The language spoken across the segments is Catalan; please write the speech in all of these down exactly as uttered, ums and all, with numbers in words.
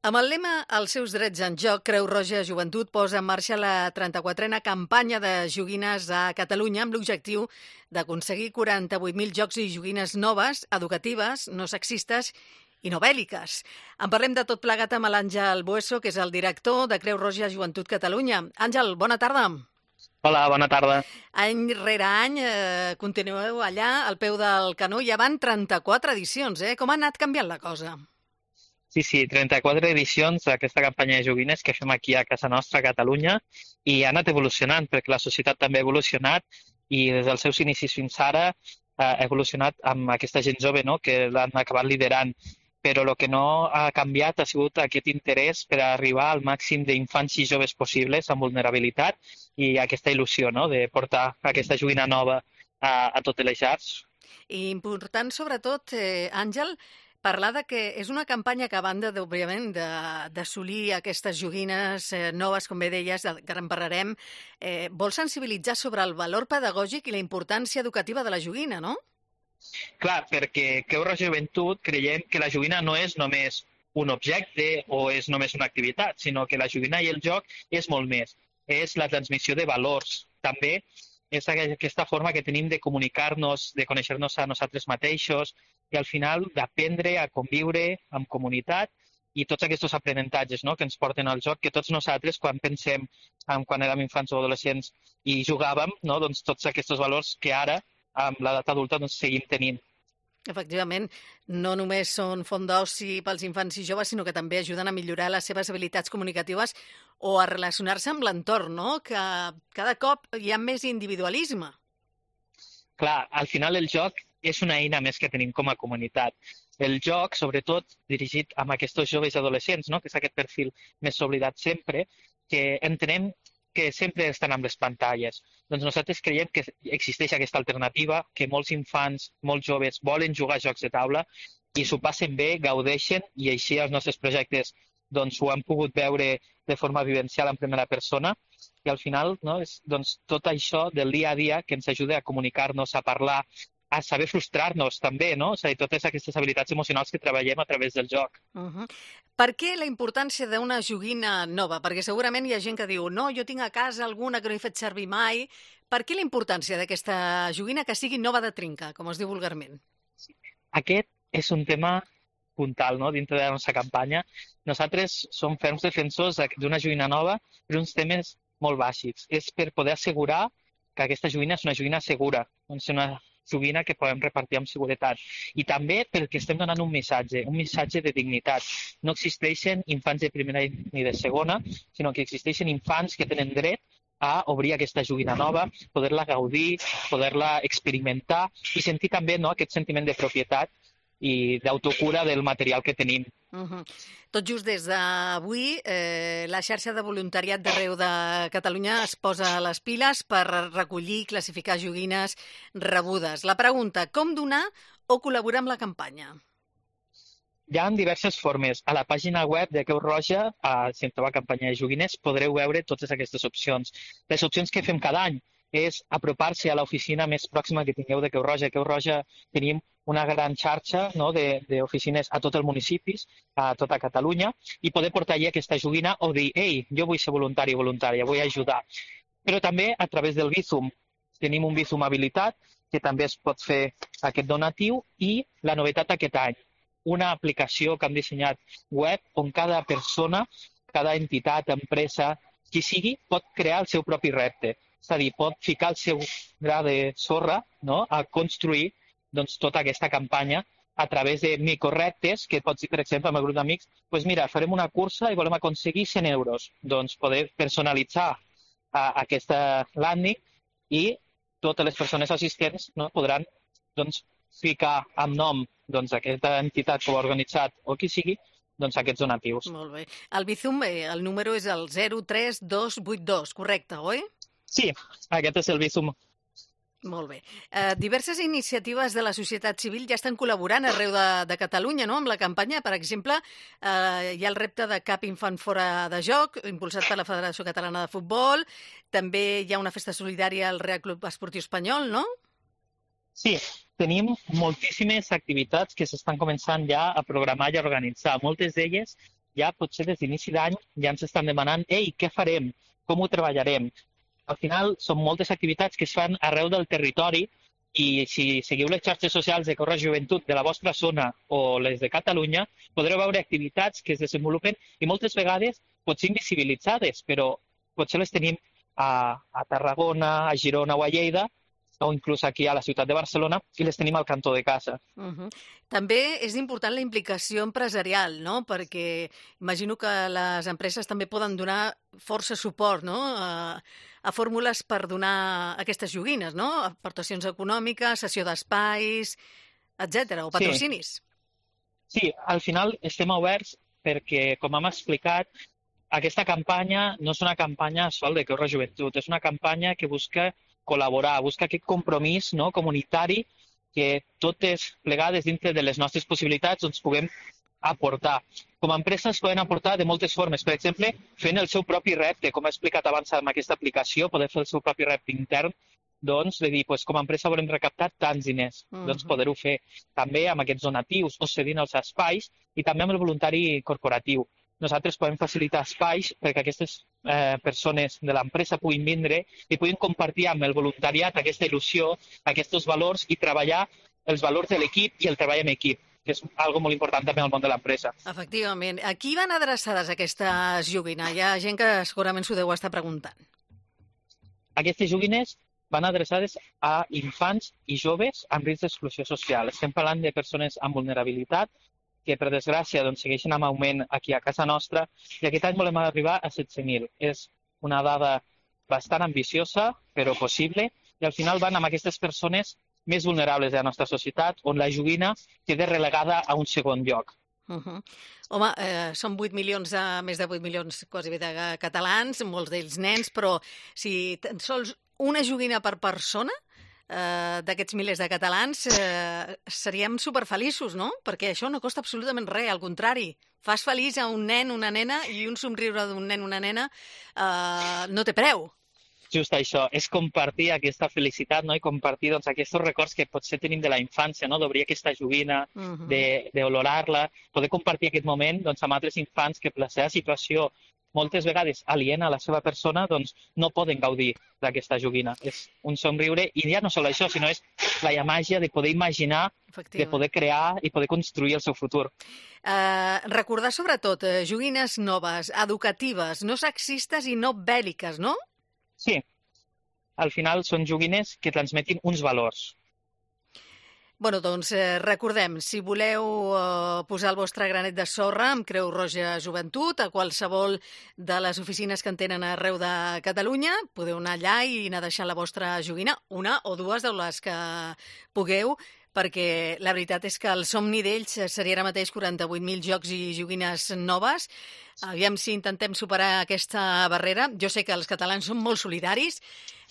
Amb el lema Els seus drets en joc, Creu Roja Joventut posa en marxa la trenta-quatrena campanya de joguines a Catalunya amb l'objectiu d'aconseguir quaranta-vuit mil jocs i joguines noves, educatives, no sexistes i no bèl·liques. En parlem de tot plegat amb l'Àngel Bueso, que és el director de Creu Roja Joventut Catalunya. Àngel, bona tarda. Hola, bona tarda. Any rere any eh, continueu allà al peu del canó. Ja van trenta-quatre edicions, eh? Com ha anat canviant la cosa? Sí, sí, trenta-quatre edicions d'aquesta campanya de joguines que fem aquí a casa nostra, a Catalunya, i ha anat evolucionant, perquè la societat també ha evolucionat i des dels seus inicis fins ara ha evolucionat amb aquesta gent jove, no?, que l'han acabat liderant. Però el que no ha canviat ha sigut aquest interès per arribar al màxim d'infants i joves possibles amb vulnerabilitat i aquesta il·lusió, no?, de portar aquesta joguina nova a, a totes les llars. I important, sobretot, eh, Àngel, parlar de que és una campanya que, a banda, òbviament, d'assolir aquestes joguines eh, noves, com bé deies, que ara en parlarem, eh, vol sensibilitzar sobre el valor pedagògic i la importància educativa de la joguina, no? Clar, perquè Creu Roja Joventut creiem que la joguina no és només un objecte o és només una activitat, sinó que la joguina i el joc és molt més. És la transmissió de valors. També és aquesta forma que tenim de comunicar-nos, de conèixer-nos a nosaltres mateixos i al final d'aprendre a conviure en comunitat i tots aquests aprenentatges, no?, que ens porten al joc, que tots nosaltres, quan pensem en quan érem infants o adolescents i jugàvem, no?, doncs tots aquests valors que ara, amb l'edat adulta, doncs seguim tenint. Efectivament, no només són font d'oci pels infants i joves, sinó que també ajuden a millorar les seves habilitats comunicatives o a relacionar-se amb l'entorn, no?, que cada cop hi ha més individualisme. Clar, al final el joc és una eina més que tenim com a comunitat. El joc, sobretot, dirigit a aquests joves i adolescents, no?, que és aquest perfil més oblidat sempre, que entenem que sempre estan amb les pantalles. Doncs nosaltres creiem que existeix aquesta alternativa, que molts infants, molts joves, volen jugar a jocs de taula i s'ho passen bé, gaudeixen, i així els nostres projectes doncs, ho han pogut veure de forma vivencial en primera persona, i al final, no, és doncs, tot això del dia a dia que ens ajuda a comunicar-nos, a parlar, a saber frustrar-nos també, no? És a dir, totes aquestes habilitats emocionals que treballem a través del joc. Uh -huh. Per què la importància d'una joguina nova? Perquè segurament hi ha gent que diu no, jo tinc a casa alguna que no he fet servir mai. Per què la importància d'aquesta joguina que sigui nova de trinca, com es diu vulgarment? Aquest és un tema puntal, no?, dintre de la nostra campanya. Nosaltres som ferms defensors d'una joguina nova per uns temes molt bàsics. És per poder assegurar que aquesta joguina és una joguina segura, és una joguina que podem repartir amb seguretat. I també perquè estem donant un missatge, un missatge de dignitat. No existeixen infants de primera ni de segona, sinó que existeixen infants que tenen dret a obrir aquesta joguina nova, poder-la gaudir, poder-la experimentar i sentir també, no?, aquest sentiment de propietat i d'autocura del material que tenim. Uh -huh. Tot just des d'avui, eh, la xarxa de voluntariat d'arreu de Catalunya es posa a les piles per recollir i classificar joguines rebudes. La pregunta, com donar o col·laborar amb la campanya? Hi ha diverses formes. A la pàgina web de Creu Roja, a, si entreu a campanya de joguines, podreu veure totes aquestes opcions. Les opcions que fem cada any és apropar-se a l'oficina més pròxima que tingueu de Creu Roja. A Creu Roja tenim una gran xarxa, no?, d'oficines a tot el municipis, a tota Catalunya, i poder portar allà aquesta joguina o dir, ei, jo vull ser voluntari o voluntària, vull ajudar. Però també a través del Bizum. Tenim un Bizum habilitat, que també es pot fer aquest donatiu, i la novetat aquest any, una aplicació que hem dissenyat web on cada persona, cada entitat, empresa, qui sigui, pot crear el seu propi repte. És a dir, pot ficar el seu gra de sorra, no?, a construir doncs, tota aquesta campanya a través de microreptes, que pots dir, per exemple, amb el grup d'amics, doncs mira, farem una cursa i volem aconseguir cent euros. Doncs poder personalitzar a, aquesta landing i totes les persones assistents, no, podran doncs, ficar amb nom doncs, aquesta entitat que ho ha organitzat o qui sigui, doncs aquests donatius. Molt bé. El Bizum, eh, el número és el zero tres dos vuit dos, correcte, oi? Sí, aquest és el Bizum. Molt bé. Eh, diverses iniciatives de la societat civil ja estan col·laborant arreu de, de Catalunya, no?, amb la campanya. Per exemple, eh, hi ha el repte de Cap infant fora de joc, impulsat per la Federació Catalana de Futbol. També hi ha una festa solidària al Real Club Esportiu Espanyol, no? Sí, tenim moltíssimes activitats que s'estan començant ja a programar i a organitzar. Moltes d'elles ja potser des d'inici d'any ja ens estan demanant «Ei, què farem? Com ho treballarem?» Al final són moltes activitats que es fan arreu del territori i si seguiu les xarxes socials de Creu Roja Joventut de la vostra zona o les de Catalunya, podreu veure activitats que es desenvolupen i moltes vegades potser invisibilitzades, però potser les tenim a, a Tarragona, a Girona o a Lleida, o inclús aquí a la ciutat de Barcelona, i les tenim al cantó de casa. Uh -huh. També és important la implicació empresarial, no? Perquè imagino que les empreses també poden donar força suport, no?, a, a fórmules per donar aquestes joguines, no? Aportacions econòmiques, cessió d'espais, etcètera, o patrocinis. Sí. sí, al final estem oberts perquè, com hem explicat, aquesta campanya no és una campanya sol de Creu Roja Joventut, és una campanya que busca col·laborar, busca aquest compromís, no?, comunitari que totes plegades dintre de les nostres possibilitats doncs, puguem aportar. Com a empreses poden aportar de moltes formes. Per exemple, fent el seu propi repte, com he explicat abans amb aquesta aplicació, poder fer el seu propi repte intern, doncs, de dir, doncs, com a empresa volem recaptar tants diners, uh -huh. doncs poder-ho fer també amb aquests donatius o cedint els espais i també amb el voluntari corporatiu. Nosaltres podem facilitar espais perquè aquestes eh, persones de l'empresa puguin vindre i puguin compartir amb el voluntariat aquesta il·lusió, aquests valors i treballar els valors de l'equip i el treball en equip, que és algo molt important també al món de l'empresa. Efectivament. A qui van adreçades aquestes joguines? Hi ha gent que segurament s'ho deu estar preguntant. Aquestes joguines van adreçades a infants i joves amb risc d'exclusió social. Estem parlant de persones amb vulnerabilitat que, per desgràcia, doncs, segueixen amb augment aquí a casa nostra, i aquest any volem arribar a setze mil. És una dada bastant ambiciosa, però possible, i al final van amb aquestes persones més vulnerables de la nostra societat, on la joguina queda relegada a un segon lloc. Uh -huh. Home, eh, són vuit milions, de, més de vuit milions quasi bé de catalans, molts d'ells nens, però si tan sols una joguina per persona, eh, d'aquests milers de catalans, eh, seríem superfeliços, no? Perquè això no costa absolutament res, al contrari. Fas feliç a un nen, una nena, i un somriure d'un nen, una nena, eh, no té preu. Just això, és compartir aquesta felicitat, no?, i compartir doncs, aquests records que potser tenim de la infància, no?, d'obrir aquesta joguina, uh -huh. d'olorar-la, poder compartir aquest moment doncs, amb altres infants que per la seva situació moltes vegades aliena a la seva persona, doncs no poden gaudir d'aquesta joguina. És un somriure, i ja no sol això, sinó és la màgia de poder imaginar, de poder crear i poder construir el seu futur. Uh, recordar sobretot eh, joguines noves, educatives, no sexistes i no bèl·liques, no? Sí. Al final són joguines que transmetin uns valors. Bueno, doncs eh, recordem, si voleu eh, posar el vostre granet de sorra amb Creu Roja Joventut a qualsevol de les oficines que en tenen arreu de Catalunya, podeu anar allà i anar deixant la vostra joguina, una o dues de les que pugueu, perquè la veritat és que el somni d'ells seria ara mateix quaranta-vuit mil jocs i joguines noves. Aviam si intentem superar aquesta barrera. Jo sé que els catalans són molt solidaris,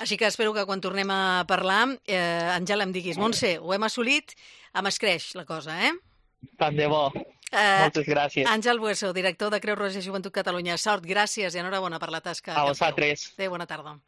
així que espero que quan tornem a parlar, eh, Àngel, em diguis, Montse, ho hem assolit, em escreix la cosa, eh? Tant de bo. Eh, Moltes gràcies. Àngel Bueso, director de Creu Roja Joventut Catalunya. Sort, gràcies i enhorabona per la tasca. A vosaltres. Adéu, bona tarda.